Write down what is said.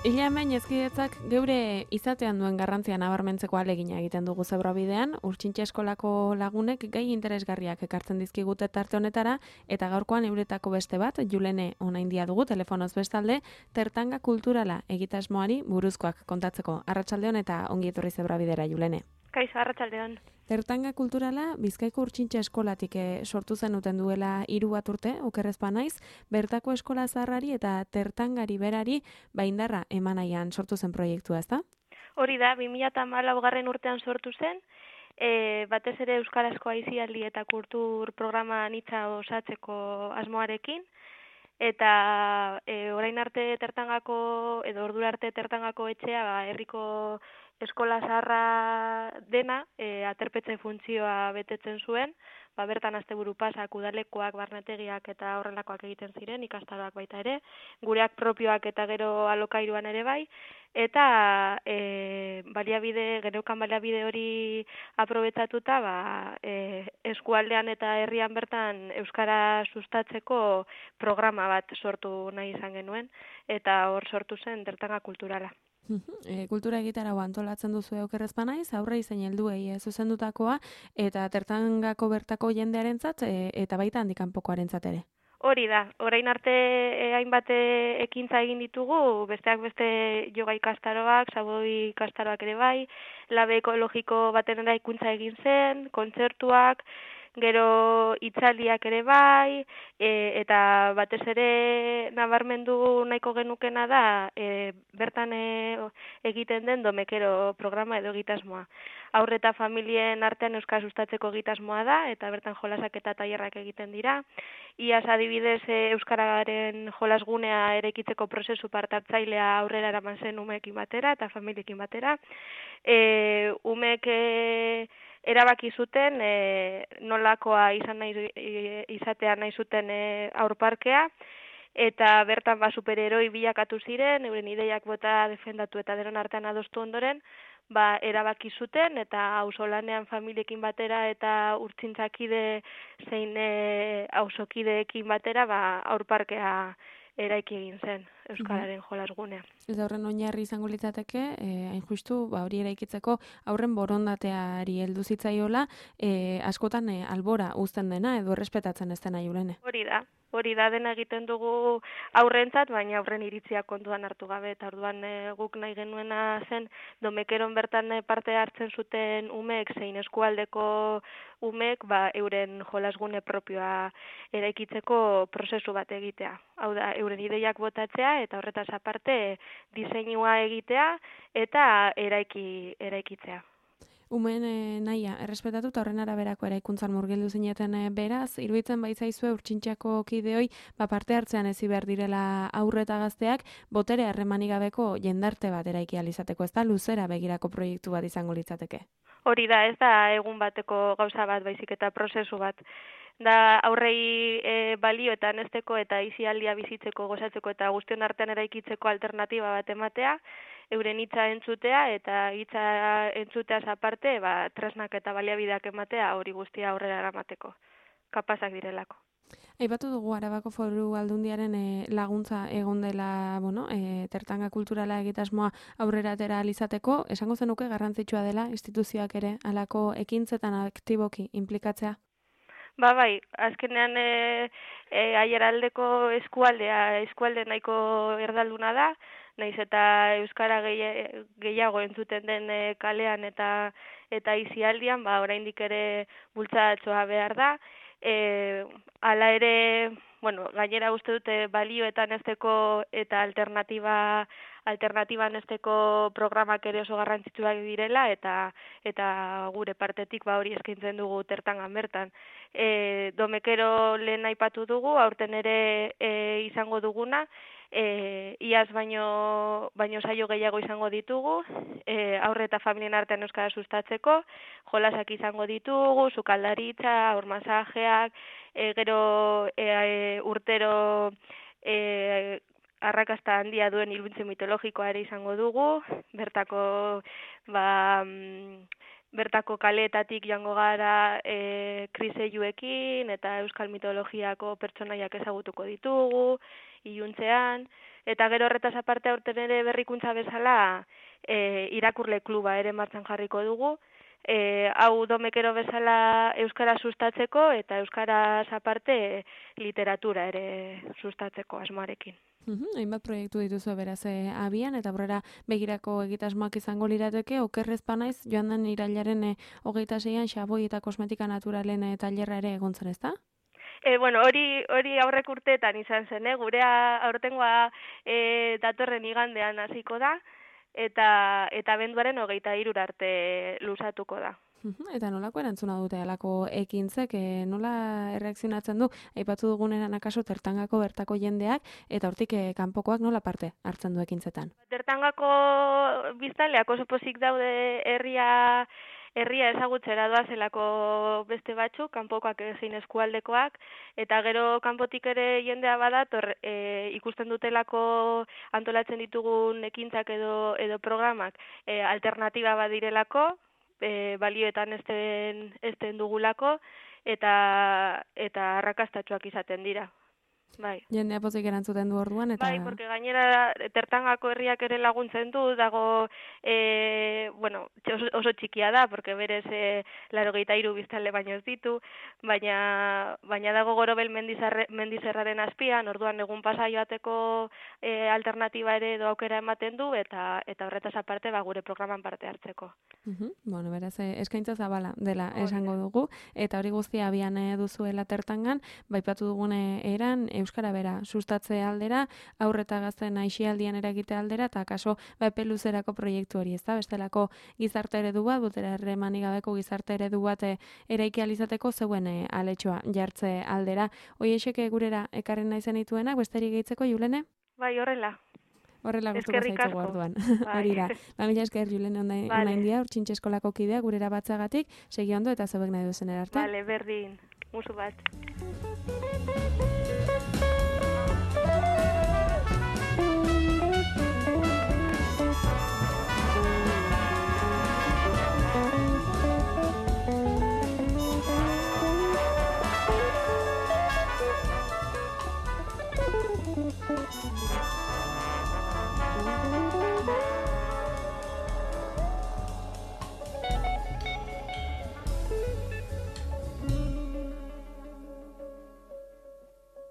Ila hemen ezkidetzak geure izatean duen garrantzia nabarmentzeko ahalegina egiten dugu Zebrabidean, Urtsintxe eskolako lagunek gai interesgarriak ekartzen dizkigute tarte honetara, eta gaurkoan euretako beste bat, Julene onaindia dugu telefonoz bestalde, tertanga kulturala egitasmoari buruzkoak kontatzeko. Arratsaldeon eta ongi etorri Zebrabidera, Julene. Kaixo, arratsaldeon. Tertanga kulturala Bizkaiko Urtsintxe eskolatik sortu zenuten duela 3 bat urte, okerrez banaiz, bertako eskola zaharrari eta tertangari berari indarra emanaian sortu zen proiektua, ezta? Hori da, 2014 urtean sortu zen, batez ere euskarazko aisialdi eta kultur programa anitza osatzeko asmoarekin, eta orain arte tertangako, edo ordura arte tertangako etxea, herriko eskola zaharra dena, aterpetxe funtzioa betetzen zuen, bertan asteburu pasak, udalekoak, barnetegiak eta horrelakoak egiten ziren, ikastaroak baita ere, gureak propioak eta gero alokairuan ere bai, eta geneukan baliabide hori aprobetxatuta, eskualdean eta herrian bertan euskara sustatzeko programa bat sortu nahi izan genuen, eta hor sortu zen tertanga kulturala. Kultura egitarau antolatzen duzu okerrez banaiz, aurre izen helduei zuzendutakoa, eta tertangako bertako jendearentzat eta baita handik kanpokoarentzat ere. Hori da, orain arte hainbat ekintza egin ditugu, besteak beste yoga ikastaroak, saboi ikastaroak ere bai, labe ekologiko baten eraikuntza egin zen, kontzertuak, gero hitzaldiak ere bai, eta batez ere nabarmendu nahiko genukena da, bertan egiten den domekero programa edo egitasmoa. Haur eta familien artean euskara sustatzeko egitasmoa da, eta bertan jolasak eta tailerrak egiten dira. Iaz adibidez euskararen jolasgunea eraikitzeko prozesu parte-hartzailea aurrera eraman zen umeekin batera eta familiekin batera. Umeek erabaki zuten nolakoa izatea nahi zuten aurparkea, eta bertan superheroi bilakatu ziren, euren ideiak bota defendatu eta denon artean adostu ondoren, erabaki zuten eta auzolanean familiekin batera eta urtzintzakide zein auzokideekin batera aurparkea eraiki egin zen euskararen jolasgunea. Eta horren oinarri izango litzateke, hain justu, hori eraikitzeko aurren borondateari heldu zitzaiola, askotan albora uzten dena edo errespetatzen ez dena, Julene. Hori da dena egiten dugu aurrentzat, baina aurren iritziak kontuan hartu gabe, eta orduan guk nahi genuena zen domekeron bertan parte hartzen zuten umeek zein eskualdeko umeek euren jolasgune propioa eraikitzeko prozesu bat egitea. Hau da, euren ideiak botatzea eta horretaz aparte diseinua egitea eta eraikitzea. Umeen nahia, errespetatu eta horren araberako eraikuntzan murgildu zineten beraz, iruditzen baitzaizue Urtsintxako kideoi parte hartzean ezi behar direla aurre eta gazteak, botere harremanik gabeko jendarte bat eraiki alizateko, ez da luzera begirako proiektu bat izango litzateke? Hori da, ez da egun bateko gauza bat, baizik eta prozesu bat. Da aurrei balio eta anesteko eta aisialdia bizitzeko, gozatzeko eta guztion artean eraikitzeko alternatiba bat ematea, euren hitza entzutea eta hitza entzuteaz aparte, tresnak eta baliabideak ematea hori guztia aurrera eramateko, kapazak direlako. Aipatu dugu Arabako Foru Aldundiaren laguntza egon dela, tertanga kulturala egitasmoa aurrera atera izateko, esango zenuke garrantzitsua dela instituzioak ere halako ekintzetan aktiboki inplikatzea? Bai, azkenean aiaraldeko eskualde nahiko erdalduna da, nahiz eta euskara gehiago entzuten den kalean eta aisialdian, oraindik ere bultzatxoa behar da. Hala ere, gainera uste dute balioetan esteko eta alternatiban esteko programak ere oso garrantzitsuak direla eta gure partetik hori eskaintzen dugu tertangan bertan. Domekero lehen aipatu dugu, aurten ere izango duguna, iaz baino saio gehiago izango ditugu, aurre eta familien artean euskara sustatzeko, jolasak izango ditugu, sukaldaritza, aurmasajeak, gero urtero arrakasta handia duen iluntze mitologikoa ere izango dugu, bertako kaleetatik joango gara krisejuekin eta euskal mitologiako pertsonaiak ezagutuko ditugu, iluntzean, eta gero horretaz aparte aurten ere berrikuntza bezala irakurle kluba ere martxan jarriko dugu, hau domekero bezala euskara sustatzeko eta euskaraz aparte literatura ere sustatzeko asmoarekin. Hainbat proiektu dituzu beraz abian, eta aurrera begirako egitasmoak izango lirateke, okerrez banaiz joan den irailaren 26an xaboi eta kosmetika naturalen tailerra ere egontzen, ezta? Bueno, hori aurrek urteetan izan zen, gurea aurtengoa datorren igandean hasiko da, eta abenduaren 23 arte luzatuko da. Eta nolako erantzuna dute alako ekintzek, nola erreakzionatzen du, aipatu dugunean akaso Tertangako bertako jendeak, eta hortik kanpokoak nola parte hartzen du ekintzetan? Tertangako biztanleak oso pozik daude herria ezagutzera doazelako beste batzuk, kanpokoak egin eskualdekoak, eta gero kanpotik ere jendea badator ikusten dutelako antolatzen ditugun ekintzak edo programak alternatiba badirelako, balioetan ezten dugulako, eta arrakastatsuak izaten dira. Bai. Jendea pozik erantzuten du orduan, eta... Bai, porque gainera Tertangako herriak ere laguntzen du, dago, oso txikia da, porque berez 83 biztanle baino ez ditu, baina dago Gorobel mendizerraren azpian, orduan egun pasa joateko alternatiba ere edo aukera ematen du, eta horretaz aparte gure programan parte hartzeko. Bueno, beraz, eskaintza zabala dela esango dugu, eta hori guztia abian duzuela Tertangan, baipatu dugune eran, euskara bera sustatze aldera, aurreta gazten aixialdian eragite aldera, eta kaso epe luzerako proiektu hori, ezta? Bestelako gizarte eredu bat, botera erremanik gabeko gizarte eredu bat eraiki alizateko zeuen aletxoa jartze aldera. Hoiexek gurera ekarren nahi zenituenak, besterik gehitzeko, Julene? Bai, horrela. Horrela gustuko zaitzugu orduan. Hori da. Mila esker Julene onain dia, Urtsintxe eskolako kidea gurera batzagatik, segi ondo eta zebek nahi duzen erarte. Vale, berdin. Musu bat.